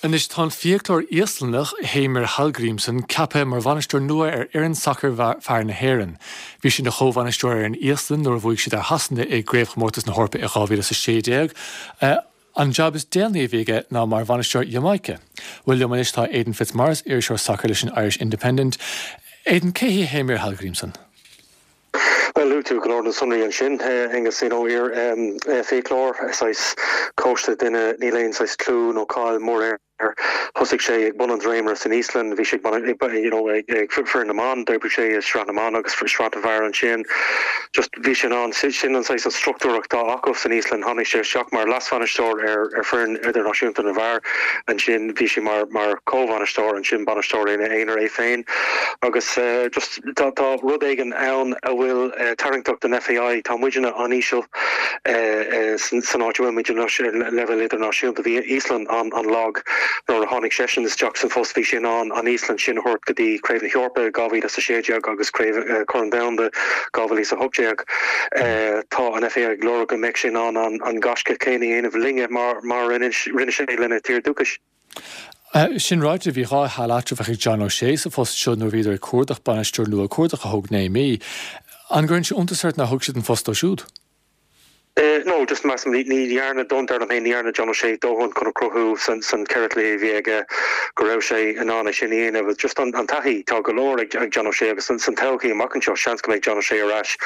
Anois tá an fiaclóir Íoslannach, Heimir Hallgrímsson, ceaptha mar bhainisteoir nua ar fhoireann sacair fear na hÉireann. Bhí sé ina chomhbhainisteoir ar an Íoslainn nuair a bhuaigh siad ar Shasana i gCraobhchomórtas na hEorpa i 2016. An jab is déanaí a bhí aige ná mar bhainisteoir Iamáice. Bhuel, liom anois tá Aidan Fitzmaurice, iriseoir sacair leis an Irish Independent. Aidan, cé hé Heimir Hallgrímsson? Bhuel, luaigh tú go leor de na sonraí ansin, Aengus, you know, iar-fhiaclóir, saghas cóiste, duine, níl aon saghas clú nó cáil mór air. Thosaigh sé ag bun an dréimire san Íoslainn, bhí sé ag, you know, ag foireann na mban, d'oibrigh sé i sraith na mban agus sraith na bhfear ansin. Just bhí sé in ann, sin an saghas an struchtúr atá acu san Íoslainn. Tháinig sé isteach mar leasbhainisteoir ar ar foireann idirnáisiúnta na bhfear, ansin bhí sé mar mar chomhbhainisteoir, ansin bainisteoir ina aonar é féin agus just Tá rud éigin ann a bhfuil tarraingteach don FAI. Tá muidne an-íseal san áit a bhfuil muid anois ar leibhéal idirnáisiúnta. Bhí Íoslainn an-lag nuair a tháinig seisean isteach san phost. Bhí sé in ann an Íoslainn sin a thabhairt go dtí Craobh na hEorpa 2016 agus Craobh Chorn an Domhanda 2018. Tá an FAI ag lorg go mbeidh sé in ann an gaisce céanna a dhéanamh linne mar a rinne sé lena tír dúchais. Sin ráite, bhí 2 sheal eatramhach ag John O'Shea sa phost seo nuair a bhíodar ag cuardach bainisteoir nua, cuardach a thóg 9 mí. An gcuireann sé iontas ort nár thug siad an post dó siúd? No, just measaim, ní dhearna, don, dar liom féin, ní dhearna John O'Shea dóthain chun a chruthú san cheithre chluiche a bhí aige go raibh sé in ann é sin a dhéanamh. Just an taithí, tá go leor ag John O'Shea agus san todhchaí amach anseo, seans go mbeidh John O'Shea ar ais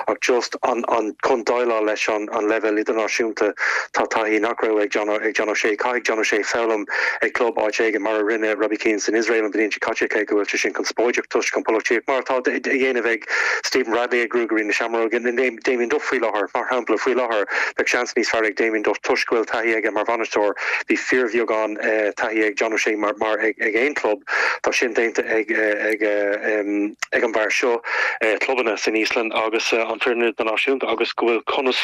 ach just an, chun déileáil leis an leibhéal idirnáisiúnta, Tá taithí nach raibh ag John ag John O'Shea. Caithfidh John O'Shea foghlaim ag club áit éigin, mar a rinne Robbie Keane san Iosrael an bhliain seo caite, cé go bhfuil sé sin conspóideach toisc an pholaitíocht, mar atá á dhéanamh ag Stephen Bradley ag Ruagairí na Seamróige, nó Damien Duff faoi láthair. Mar shampla, faoi láthair, bheadh seans níos fearr ag Damien Duff toisc go bhfuil taithí aige mar bhainisteoir. Bhí fíorbheagán taithí ag John O'Shea mar mar ag aon club. Tá sin déanta ag ag ag an bhfear seo, clubanna san Íoslainn agus an foireann idirnáisiúnta agus go bhfuil conas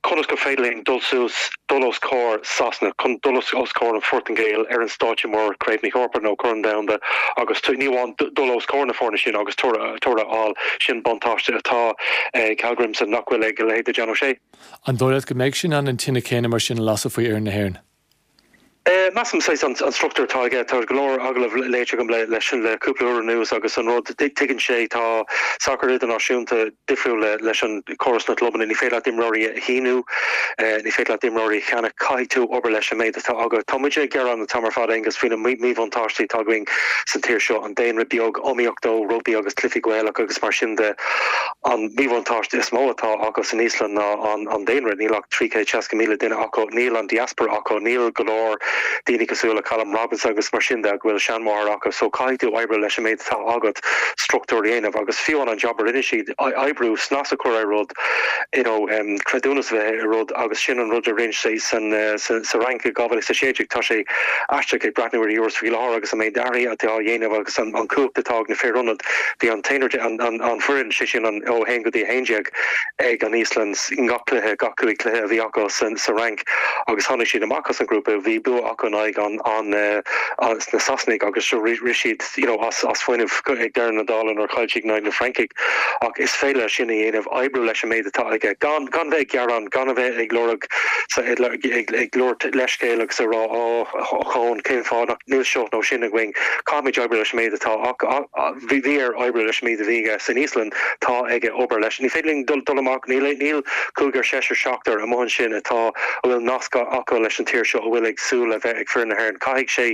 conas gur féidir linn dul suas, dul os comhair Sasana, chun dul os comhair an Phortaingéil ar an stáitse mór, Craobh na hEorpa nó Corn an Domhanda agus ní amháin dul os comhair na foirne sin agus toradh a fháil. Sin buntáiste atá ag Hallgrímsson nach bhfuil ag a leithéid de John O'Shea. An dóigh leat go mbeidh sé in ann an tine céanna mar sin a lasadh faoi fhoireann na hÉireann? Measaim saghas an struchtúr atá aige, tá go leor agallamh léite agam leis le cúpla uair anuas agus an rud, tuigeann sé, tá sacar idirnáisiúnta difriúil leis an córas na gclubanna, ní féidir leat imreoirí a shíniú, ní féidir leat imreoirí a cheannach, caithfidh tú obair leis an méid atá agat. Tá muid ag gearán an t-am ar fad, Aengus, faoi na míbhuntáistí atá againn san tír seo, an daonra beag, iomaíocht ó rugbaí agus cluichí Gaelach agus mar sin de. An míbhuntáiste is mó atá acu san Íoslainn ná an daonra, níl ach 360,000 duine acu, níl an diaspora acu, níl go leor daoine cosúil le Callum Robinson agus mar sin de go bhfuil seanmháthair acu so caithfidh tú oibriú leis an méid atá agat, struchtúr a dhéanamh agus fiú an job a rinne siad, oibriú, snas a chur ar rud, you know creidiúnas a bheith i rud agus sin an rud a rinne sé san sa Fhrainc i 2016. Tá sé aisteach ag breathnú ar Euros faoi láthair agus an méid athruithe atá á dhéanamh agus an cumhacht atá ag na fir ionad. Bhí an t-aonar de, an foireann, sé sin an ó 1 go dtí 11 ag an Íoslainn i ngach cluiche, gach 5 cluiche a bhí acu sa Fhrainc agus tháinig siad amach as an ghrúpa. Bhí bua acu in aghaidh an na Sasanaigh agus rith siad you know as fuinneamh ag deireadh na dála nuair a chaill siad in aghaidh na Francaigh. Ach is féidir leis sin a dhéanamh, oibriú leis an méid atá aige, gan gan bheith ag gearán, gan a bheith ag lorg ag ag labhairt leithscéal agus ag rá ó chón cén fáth nach níl seo nó sin againn. Caithfimid oibriú leis an méid atá bhí air oibriú leis an méid a bhí aige san Íoslainn, tá aige obair leis. Ní féidir linn dul amach, níl níl cúigear, seisear, seachtar amuigh ansin atá, a bhfuil nasc acu leis an tír seo, a bhfuil ag súil le bheith ag foireann na hÉireann. Caithfidh sé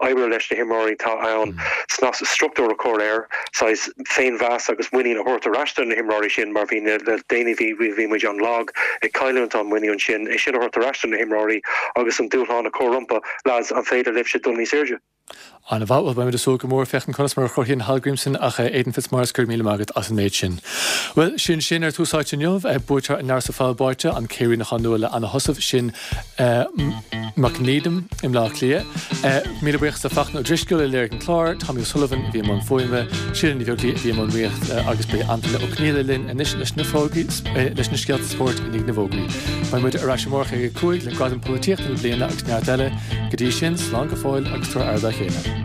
oibriú leis na himreoirí atá ann, snas, struchtúr a chur air, saghas féinmheas agus muinín a thabhairt ar ais do na himreoirí sin mar bhí le déanaí bhí bhí muid an-lag, ag cailliúint an muinín sin, é sin a thabhairt ar ais do na himreoirí agus an dúshlán a chur rompu. Lads, an féidir libhse dul níos airde? An-mhaith, bhuel beimid ag súil go mór féachaint conas mar a chruthaíonn Hallgrímsson ach Aidan Fitzmaurice go raibh míle maith agat as an méid sin. Bhuel, sin sin ar Tús Áite inniu, buaiteoir an Leabhair sa Pholl Báite, an Céiríneachán nua le Anna Heussaff, sin Mac Needham i mBleá Cliath. Míle buíochas le Fachtna Ó Drisceoil a léirigh an clár, Tommy O'Sullivan a bhí i mbun fuaime, Síle Ní Bheaglaoí a bhí i mbun rúnaíochta agus beidh Antaine Ó Conghaile linn anois leis na fógraí, leis na scéalta spóirt i ndiaidh na bhfógraí. Beidh muid ar ais amárach ag 5 le Gradam Polaitíochta na bliana agus neart eile. Go dtí sin, slán go fóill agus tabhair aire dá chéile.